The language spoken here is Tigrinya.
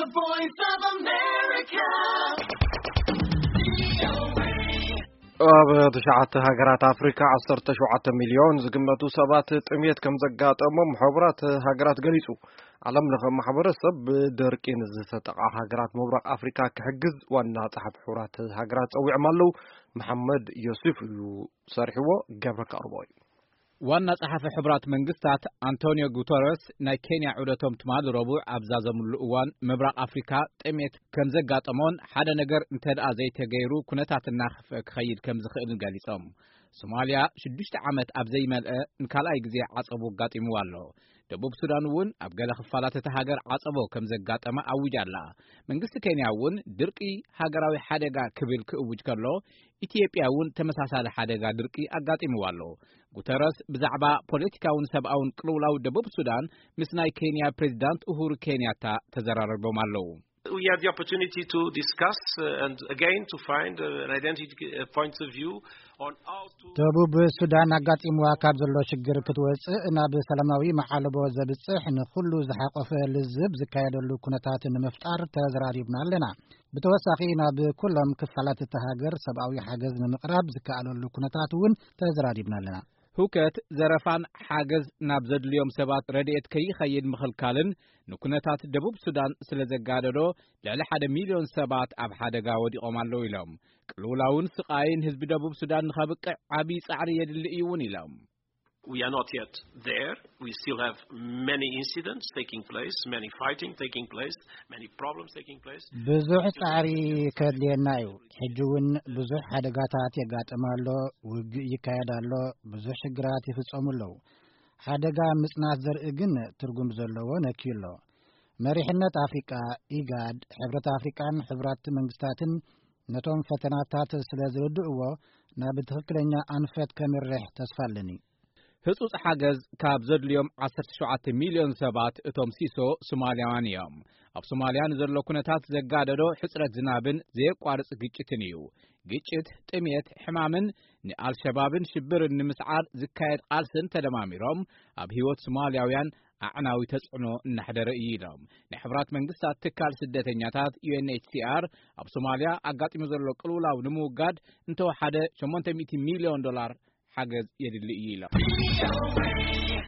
The Voice of America. ኣብ ትሽዓተ ሃገራት ኣፍሪካ ዓሰርተ ሸውዓተ ሚልዮን ዝግመቱ ሰባት ጥሜት ከም ዘጋጠሞም ሕቡራት ሃገራት ገሊጹ። ዓለም ለኸ ማሕበረሰብ ብደርቂ ንዝተጠቓ ሃገራት ምብራቕ ኣፍሪካ ክሕግዝ ዋና ጸሓፊ ሕቡራት ሃገራት ጸዊዖም ኣለዉ። መሓመድ ዮሱፍ እዩ ሰሪሕዎ። ገብረ ከቕርቦ እዩ። ዋና ጸሓፊ ሕቡራት መንግስታት ኣንቶኒዮ ጉተረስ ናይ ኬንያ ዑደቶም ትማሊ ረቡዕ ኣብ ዛዘምሉ እዋን፣ ምብራቕ ኣፍሪካ ጥሜት ከም ዘጋጠሞን ሓደ ነገር እንተ ደኣ ዘይተገይሩ ኩነታት እናኸፍአ ክኸይድ ከም ዝኽእልን ገሊጾም። ሶማልያ ሽዱሽተ ዓመት ኣብ ዘይመልአ ንካልኣይ ግዜ ዓጸቦ ኣጋጢምዋ ኣሎ። ደቡብ ሱዳን እውን ኣብ ገለ ክፋላት እታ ሃገር ዓጸቦ ከም ዘጋጠማ ኣዊጃ ኣላ። መንግስቲ ኬንያ እውን ድርቂ ሃገራዊ ሓደጋ ክብል ክእውጅ ከሎ፣ ኢትዮጵያ እውን ተመሳሳሊ ሓደጋ ድርቂ ኣጋጢምዋ ኣሎ። ጉተረስ ብዛዕባ ፖለቲካውን ሰብኣውን ቅልውላው ደቡብ ሱዳን ምስ ናይ ኬንያ ፕሬዚዳንት ኡሁሩ ኬንያታ ተዘራሪቦም ኣለዉ። We had the opportunity to discuss, uh, and again to find, uh, an identity, uh, point of view on how to ደቡብ ሱዳን ኣጋጢምዋ ካብ ዘሎ ሽግር ክትወጽእ ናብ ሰላማዊ መዓለቦ ዘብጽሕ ንኹሉ ዝሓቆፈ ልዝብ ዝካየደሉ ኩነታት ንምፍጣር ተዘራሪብና ኣለና። ብተወሳኺ ናብ ኩሎም ክፋላት እታ ሃገር ሰብኣዊ ሓገዝ ንምቕራብ ዝከኣለሉ ኩነታት እውን ተዘራሪብና ኣለና። ህውከት፣ ዘረፋን ሓገዝ ናብ ዘድልዮም ሰባት ረድኤት ከይኸይድ ምኽልካልን ንኩነታት ደቡብ ሱዳን ስለ ዘጋደዶ ልዕሊ ሓደ ሚልዮን ሰባት ኣብ ሓደጋ ወዲቖም ኣለዉ ኢሎም። ቅልውላውን ስቓይን ህዝቢ ደቡብ ሱዳን ንኸብቅዕ ዓብዪ ጻዕሪ የድሊ እዩ እውን ኢሎም። We are not yet there. We still have many incidents taking place, many fighting taking place, many problems taking place. ብዙሕ ጻዕሪ ከድልየና እዩ። ሕጂ እውን ብዙሕ ሓደጋታት የጋጥም ኣሎ፣ ውግእ ይካየድ ኣሎ፣ ብዙሕ ሽግራት ይፍጸሙ ኣለዉ። ሓደጋ ምጽናት ዘርኢ ግን ትርጉም ዘለዎ ነክዩ ኣሎ። መሪሕነት ኣፍሪቃ፣ ኢጋድ፣ ሕብረት ኣፍሪቃን ሕብራት መንግስታትን ነቶም ፈተናታት ስለ ዝርድእዎ ናብ ትኽክለኛ ኣንፈት ከምርሕ ተስፋ ኣለኒ። ህጹጽ ሓገዝ ካብ ዘድልዮም ዓሰርተ ሸውዓተ ሚልዮን ሰባት እቶም ሲሶ ሶማልያውያን እዮም። ኣብ ሶማልያ ንዘሎ ኩነታት ዘጋደዶ ሕጽረት ዝናብን ዘየቋርጽ ግጭትን እዩ። ግጭት፣ ጥሜት፣ ሕማምን ንኣልሸባብን ሽብርን ንምስዓር ዝካየድ ቃልስን ተደማሚሮም ኣብ ህይወት ሶማልያውያን ኣዕናዊ ተጽዕኖ እናሕደረ እዩ ኢሎም። ናይ ሕብራት መንግስታት ትካል ስደተኛታት ዩ ኤን ኤች ሲ ኣር ኣብ ሶማልያ ኣጋጢሙ ዘሎ ቅልውላው ንምውጋድ እንተወሓደ ሸሞንተ ሚእቲ ሚልዮን ዶላር ሓገዝ የድሊ እዩ ኢሎም።